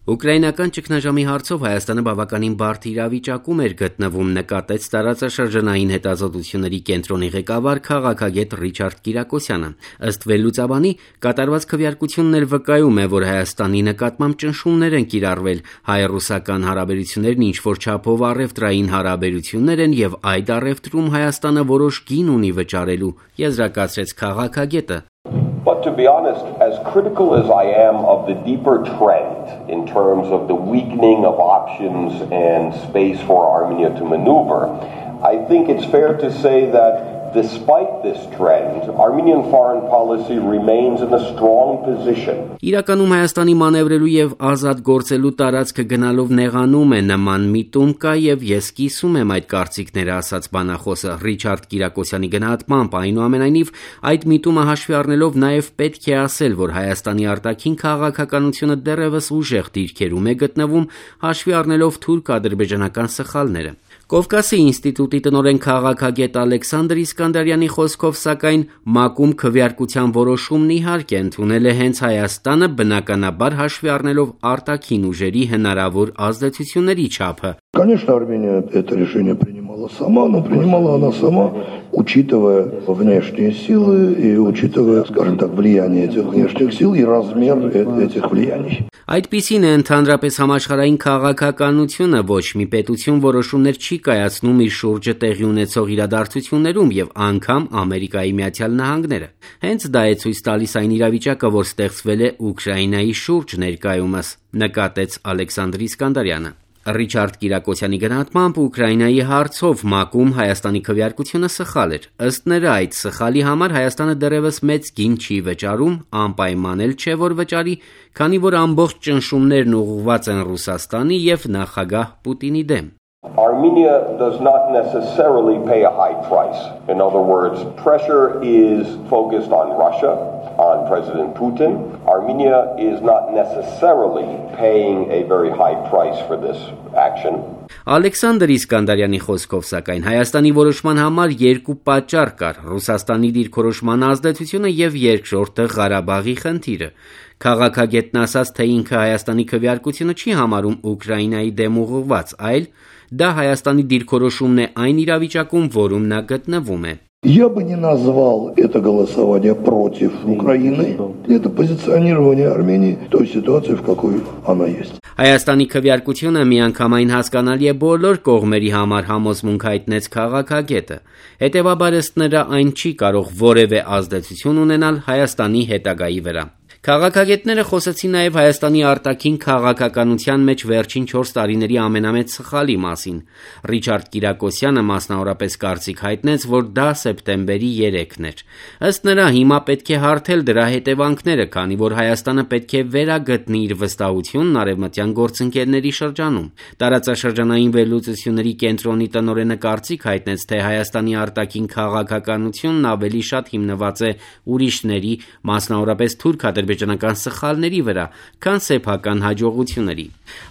Ուկրաինական ճգնաժամի հարցով Հայաստանը բավականին բարդ իրավիճակում էր գտնվում, նկատեց տարածաշրջանային հետազոտությունների կենտրոնի ղեկավար քաղաքագետ Ռիչարդ Կիրակոսյանը։ Ըստ վերլուծաբանի, կատարված քվեարկությունն էլ վկայում է, որ Հայաստանի նկատմամբ ճնշումներ են կիրառվել, հայ-ռուսական հարաբերություններն ինչ-որ չափով առևտրային հարաբերություններ են եւ այդ առևտրում Հայաստանը որոշ գին ունի վճարելու, եզրակացրեց քաղաքագետը։ But to be honest, as critical as I am of the deeper trend in terms of the weakening of options and space for Armenia to maneuver, I think it's fair to say that despite this trend, Armenian foreign policy remains in a strong position. Իրականում Հայաստանի մանևրելու եւ ազատ գործելու տարածքը գնալով նեղանում է, նման միտում կա եւ ես կիսում եմ այդ կարծիքները, ասաց բանախոսը Ռիչարդ Կիրակոսյանի գնահատմամբ, այնուամենայնիվ այդ միտումը հաշվի առնելով նաեւ պետք է ասել, որ Հայաստանի արտաքին քաղաքականությունը դեռևս ուժեղ դիրքերում է գտնվում, հաշվի առնելով թուրք-ադրբեջանական սխալները։ Կովկասի ինստիտուտի տնօրեն քաղաքագետ Ալեքսանդր Իսկանդարյանի խոսքով, սակայն ՄԱԿ-ում քվեարկության որոշումն իհարկե ընդունել է հենց Հայաստանը, բնականաբար հաշվի առնելով արտաքին ուժերի հնարավոր ազդեցությունների չափը։ Конечно, Армения это решение принимала сама, но принимала она сама, учитывая внешние силы и учитывая, скажем так, влияние этих внешних сил и размер этих влияний. Այդպիսին է ընդհանրապես համաշխարհային քաղաքականությունը, ոչ մի պետություն որոշումներ չի կայացնում իր շուրջը տեղի ունեցող իրադարձություններում եւ անգամ Ամերիկայի Միացյալ Նահանգները։ Հենց դա է ցույց տալիս այն իրավիճակը, որ ստեղծվել է Ուկրաինայի շուրջ ներկայումս, նկատեց Ալեքսանդր Իսկանդարյանը։ Ռիչարդ Կիրակոսյանի գնահատմամբ Ուկրաինայի հարցով ՄԱԿ-ում Հայաստանի քվեարկությունը սխալ էր։ Ըստ նրա, այդ սխալի համար Հայաստանը դեռևս մեծ գին չի վճարում, անպայման էլ չէ, որ վճարի, քանի որ ամբողջ ճնշումներն ուղղված են Ռուսաստանի եւ նախագահ Պուտինի դեմ։ Armenia does not necessarily pay a high price. In other words, pressure is focused on Russia, on President Putin. Armenia is not necessarily paying a very high price for this action. Ալեքսանդր Իսկանդարյանի խոսքով, սակայն Հայաստանի որոշման համար երկու պատճառ կար՝ Ռուսաստանի դիրքորոշման ազդեցությունը եւ երկրորդը Ղարաբաղի խնդիրը։ Քաղաքագետն ասաց, թե ինքը Հայաստանի քվեարկությունը չի համարում Ուկրաինայի դեմ ուղղված, այլ դա Հայաստանի դիրքորոշումն է այն իրավիճակում, որում նա գտնվում է։ Я бы не назвал это голосование против Украины. Это позиционирование Армении в той ситуации, в какой она есть. Հայաստանի քվեարկությունը միանգամայն հասկանալի է բոլոր կողմերի համար, համոզմունք հայտնեց քաղաքագետը։ Հետևաբար ըստ նրա այն չի կարող որևէ ազդեցություն ունենալ Հայաստանի հետագայի վրա։ Քաղաքագետները խոսեցին նաև Հայաստանի արտաքին քաղաքականության մեջ վերջին 4 տարիների ամենամեծ սխալի մասին։ Ռիչարդ Կիրակոսյանը մասնավորապես կարծիք հայտնեց, որ դա սեպտեմբերի 3-ն էր։ Ըստ նրա, հիմա պետք է հարթել դրա հետևանքները, քանի որ Հայաստանը պետք է վերագտնի իր վստահությունն արևմտյան գործընկերների շրջանում։ Տարածաշրջանային վերլուծությունների կենտրոնի տնօրենը կարծիք հայտնեց, թե Հայաստանի արտաքին քաղաքականությունն ավելի շատ հիմնված է ուրիշների, մասնավորապես թուրք-ադրբեջանական սխալների վրա, քան սեփական հաջողությունների։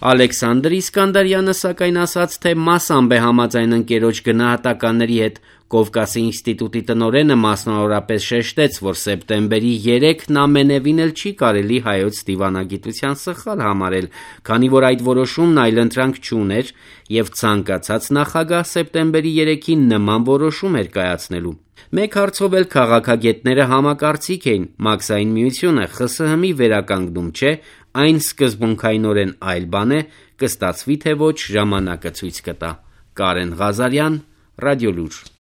Ալեքսանդր Իսկանդարյանը սակայն ասաց, թե մասամբ է համաձայն ընկերոջ գնահատականների հետ։ Կովկասի ինստիտուտի տնօրենը մասնավորապես շեշտեց, որ սեպտեմբերի 3-ն ամենևին էլ չի կարելի հայոց դիվանագիտության սխալ համարել, քանի որ այդ որոշումն այլընտրանք չուներ եւ ցանկացած նախագահ սեպտեմբերի 3-ին նման որոշում էր կայացնելու։ Մեկ հարցով էլ քաղաքագետները համակարծիք էին՝ Մաքսային միությունը ԽՍՀՄ-ի վերականգնում չէ, այն սկզբունքայինորեն այլ բան է, կստացվի թե ոչ ժամանակը ցույց կտա։ Կարեն Ղազարյան, Ռադիոլուր։